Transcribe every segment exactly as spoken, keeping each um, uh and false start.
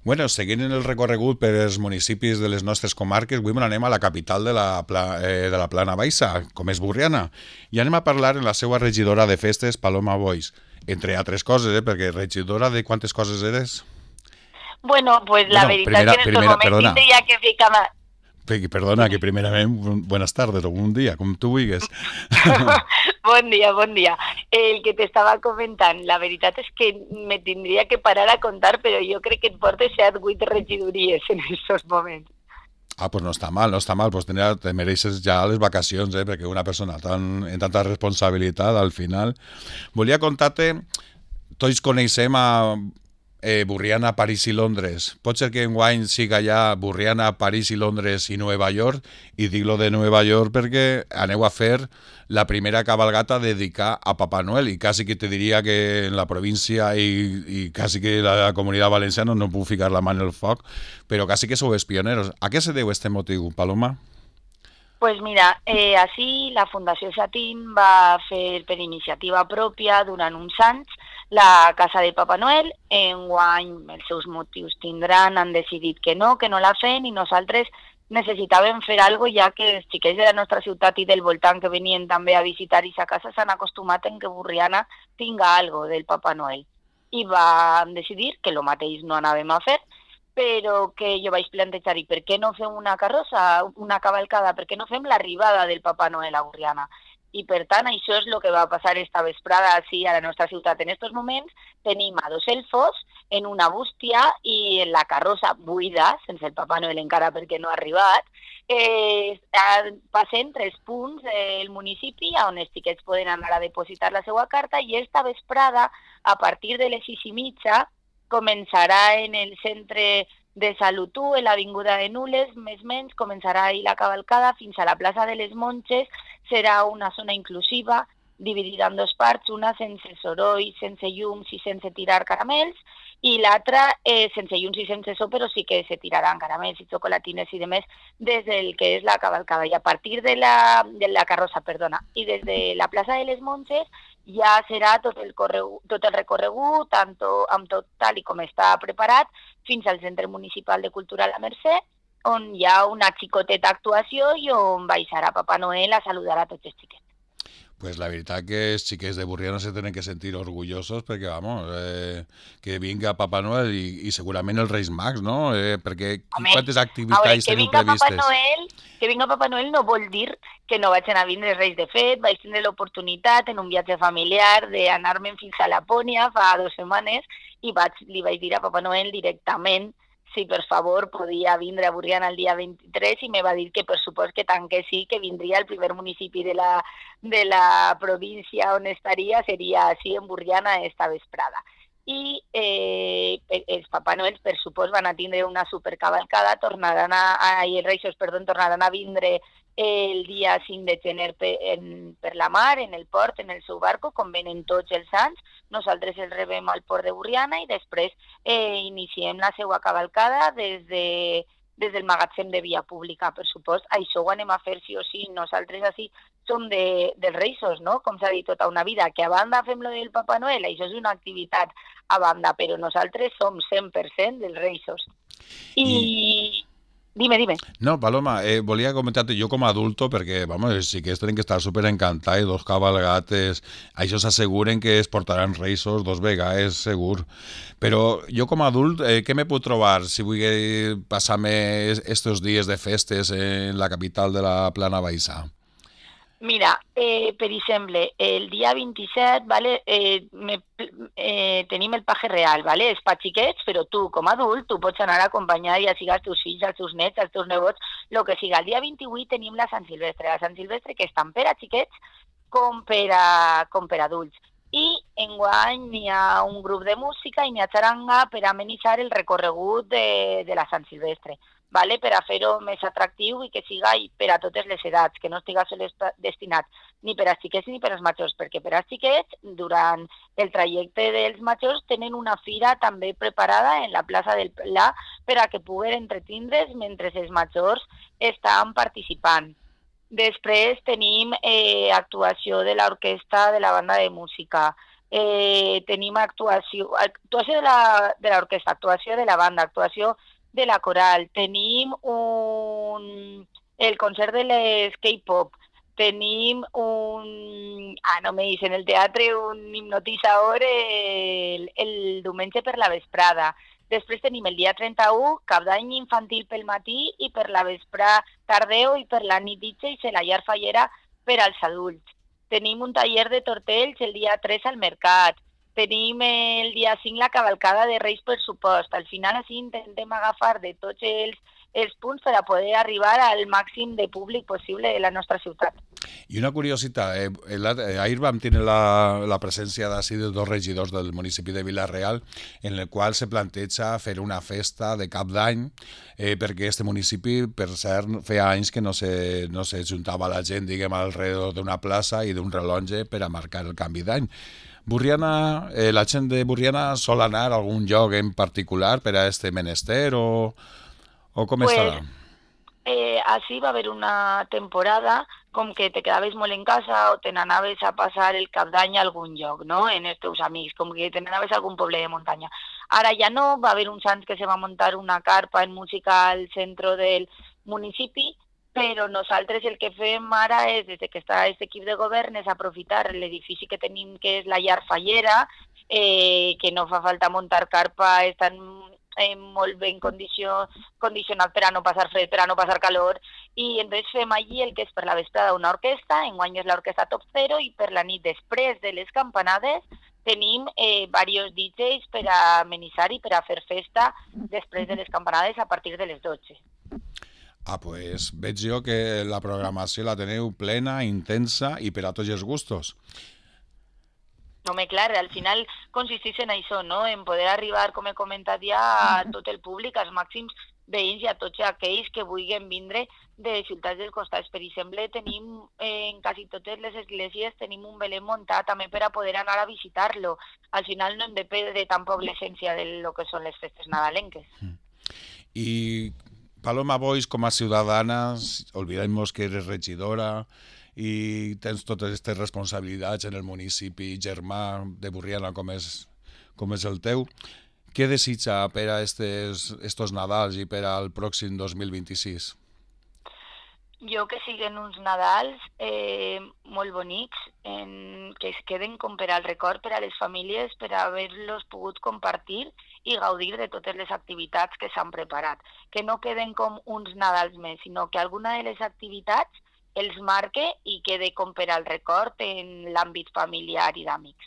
Bueno, seguint el recorregut per els municipis de les nostres comarques, avui me n'anem a la capital de la, pla, eh, de la Plana Baixa, com és Burriana, i anem a parlar amb la seva regidora de festes, Paloma Boix, entre altres coses, eh, perquè regidora de quantes coses eres? Bueno, pues la Bueno, veritat és primera, que en estos primera, moments perdona, tindria que ficar más. pe- perdona, que primerament, bu- buenas tardes o un dia, com tu vulguis. Bon dia, bon dia. El que t'estava comentant, la veritat és que me tindria que parar a contar, però jo crec que et portes set, vuit regidories en aquests moments. Ah, pues no està mal, no està mal, pues tenia, te mereixes ja les vacacions, eh, perquè una persona tan, en tanta responsabilitat, al final... Volia contar-te, tots coneixem a eh, Burriana, París i Londres. Pot ser que enguany siga ja Burriana, París i Londres i Nova York, i dic-lo de Nova York perquè aneu a fer la primera cabalgata dedicada a Papà Noel, i quasi que te diria que en la província i, i quasi que la, la comunitat valenciana no puc ficar la mà en el foc, però quasi que sou els pioneros. A què se deu este motiu, Paloma? Pues mira, eh, així la Fundació Satín va fer per iniciativa pròpia durant uns anys la Casa de Papa Noel. Enguany els seus motius tindran, han decidit que no, que no la fem, i nosaltres necessitàvem fer alguna cosa, ja que els xiquets de la nostra ciutat i del voltant que venien també a visitar aquesta casa s'han acostumat en que Burriana tinga algo del Papa Noel. I vam decidir que lo mateix no anàvem a fer, però que jo vaig plantejar, i per què no fem una carrossa, una cavalcada, per què no fem l'arribada del Papa Noel a Burriana? I per tant, això és el que va passar esta vesprada així a la nostra ciutat. En aquests moments tenim a dos elfos en una bústia i en la carrossa buida, sense el Papa Noel encara perquè no ha arribat, eh, passen tres punts del municipi on els xiquets poden anar a depositar la seva carta, i esta vesprada, a partir de les sis i mitja, començarà en el centre de Salut u, en l'Avinguda de Nules, més o menys, començarà ahir la cavalcada fins a la plaça de les Monges. Serà una zona inclusiva, dividida en dos parts, una sense soroll, sense llums i sense tirar caramels, i l'altra eh, sense llums i sense so, però sí que se tiraran caramels i xocolatines i demés des del que és la cavalcada. I a partir de la, de la carrossa, perdona, i des de la plaça de les Monges ja serà tot el, corregut, tot el recorregut, tanto, amb tot tal i com està preparat, fins al Centre Municipal de Cultura La Mercè, on hi ha una xicoteta actuació i on baixarà Papa Noel a saludar a tots els xiquets. Pues la veritat que els xiquets de Burriana se tenen que sentir orgullosos perquè, vamos, eh, que vinga Papà Noel i, i segurament els Reis Mags, no? Eh, perquè Home, quantes a veure, activitats que teniu vinga Papa previstes? Noel, que vinga Papa Noel no vol dir que no vaig anar a vindre els Reis. De fet, vaig tindre l'oportunitat en un viatge familiar d'anar-me'n fins a Lapònia fa dues setmanes, i vaig, li vaig dir a Papa Noel directament si per favor podia vindre a Burriana el dia vint-i-tres, i me va dir que per supost que tant que sí, que vindria el primer municipi de la, de la província on estaria, seria així en Burriana esta vesprada. I eh, els Papà Noels, per supost, van a tindre una supercavalcada, tornaran a, a, i els Reixos, perdó, tornaran a vindre el dia cinc de gener per, en, per la mar, en el port, en el seu barco, com venen tots els anys. Nosaltres els rebem al port de Burriana i després eh, iniciem la seva cavalcada des, de, des del magatzem de via pública, per supost. Això ho anem a fer sí o sí. Nosaltres així som de, dels Reixos, no? Com s'ha dit tota una vida, que a banda fem lo del Papa Noel, això és una activitat a banda, però nosaltres som cent per cent dels Reixos. I, I dime, dime. no, Paloma, eh, volia comentar-te jo com a adulto, perquè, vamos, els xiquets tenen que estar super encantats, dos cabalgates, això s'asseguren que es portaran reisos dos vegades, segur. Però jo com a adult, eh, què me puc trobar si vull passar-me estos dies de festes en la capital de la Plana Baixa? Mira, eh, per exemple, el dia vint-i-set, vale, eh, me, eh, tenim el paje real, vale? És pa xiquets, però tu, com a adult, tu pots anar acompanyat, ja siga els teus fills, els teus nets, els teus nebots, el que siga. El dia vint-i-vuit tenim la Sant Silvestre, la Sant Silvestre que és tant per a xiquets com per a, com per a adults. I enguany hi ha un grup de música i n'hi ha xaranga per amenitzar el recorregut de, de la Sant Silvestre, vale? Per a fer-ho més atractiu i que siga per a totes les edats, que no estiga sols destinat ni per als xiquets ni per als majors, perquè per als xiquets, durant el trajecte dels majors, tenen una fira també preparada en la plaça del Pla per a que puguen entretindre's mentre els majors estan participant. Després tenim eh, actuació de l'orquestra de la banda de música. eh, tenim actuació, actuació de la, de l'orquestra, actuació de la banda, actuació de la coral, tenim un, el concert de les K-pop, tenim un... Ah, no me dicen, el teatre, un hipnotitzador el, el diumenge per la vesprada. Després tenim el dia trenta-u, cap d'any infantil pel matí i per la vespra tardeu i per la nit D Js a la llar fallera per als adults. Tenim un taller de tortells el dia tres al mercat. Tenim el dia cinc la cavalcada de Reis per supost. Al final així intentem agafar de tots els, els punts per a poder arribar al màxim de públic possible de la nostra ciutat. I una curiositat, eh, eh, ahir vam tenir la, la presència d'ací de dos regidors del municipi de Vila-real en el qual se planteja fer una festa de cap d'any eh, perquè este municipi, per cert, feia anys que no se, no se juntava la gent, diguem, alrededor d'una plaça i d'un rellotge per a marcar el canvi d'any. Burriana, eh, la gent de Burriana sol anar a algun lloc en particular per a este menester o, o com pues, estarà? Eh, així va haver una temporada com que te quedaves molt en casa o te n'anaves a passar el cap d'any a algun lloc, no?, en els teus amics, com que te n'anaves a algun poble de muntanya. Ara ja no, va haver uns anys que se va muntar una carpa en música al centre del municipi, però nosaltres el que fem ara és, des que està aquest equip de govern, és aprofitar l'edifici que tenim, que és la llar fallera, eh, que no fa falta muntar carpa, estan eh, molt ben condicio, condicionat per a no passar fred, per a no passar calor, i entonces fem allí el que és per la vesprada una orquestra, enguany és l'orquestra Top Zero, i per la nit després de les campanades tenim eh, diversos D Js per a amenitzar i per a fer festa després de les campanades a partir de les dotze. Ah, pues veig jo que la programació la teniu plena, intensa i per a tots els gustos. No, home, clar, al final consisteix en això, no?, en poder arribar, com he comentat ja, a tot el públic, als màxims veïns i a tots aquells que vulguin vindre de ciutats dels costats. Per exemple, tenim eh, en quasi totes les esglésies tenim un Belén muntat també per a poder anar a visitar-lo. Al final no hem de perdre tampoc l'essència de lo que són les festes nadalenques. I Paloma Boix, com a ciutadana, olvidem-nos que eres regidora i tens totes aquestes responsabilitats en el municipi germà de Burriana com és, com és el teu. Què desitja per a estes, estos Nadals i per al pròxim dos mil vint-i-sis? Jo que siguen uns Nadals eh, molt bonics, en, que es queden com per al record per a les famílies, per a haver-los pogut compartir i gaudir de totes les activitats que s'han preparat. Que no queden com uns Nadals més, sinó que alguna de les activitats els marque i quede com per al record en l'àmbit familiar i d'amics.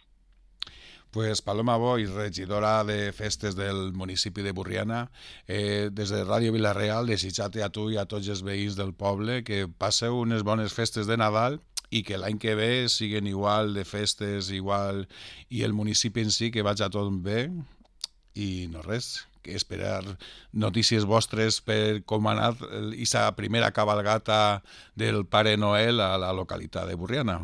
Pues Paloma Boix, regidora de festes del municipi de Burriana, eh, des de Ràdio Vila-real, desitjar-te a tu i a tots els veïns del poble que passeu unes bones festes de Nadal i que l'any que ve siguin igual de festes, igual, i el municipi en si que vagi a tot bé, i no res, que esperar notícies vostres per com ha anat aquesta primera cabalgata del Pare Noel a la localitat de Burriana.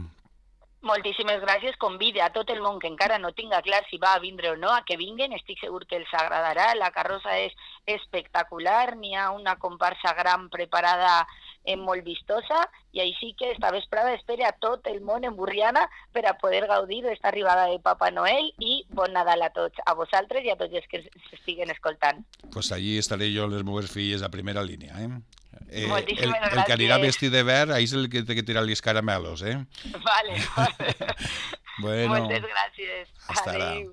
Moltíssimes gràcies. Convide a tot el món que encara no tinga clar si va a vindre o no a que vinguen. Estic segur que els agradarà. La carrossa és espectacular. N'hi ha una comparsa gran preparada eh, molt vistosa i així que esta vesprada espere a tot el món en Burriana per a poder gaudir d'esta arribada de Papa Noel i bon Nadal a tots, a vosaltres i a tots els que s'estiguen escoltant. Pues allí estaré jo amb les meves filles a primera línia, eh? Eh, el, el que anirà vestit de verd, ahí és el que té que tirar els caramelos, eh? Vale, vale. Bueno, moltes gràcies. hasta ara.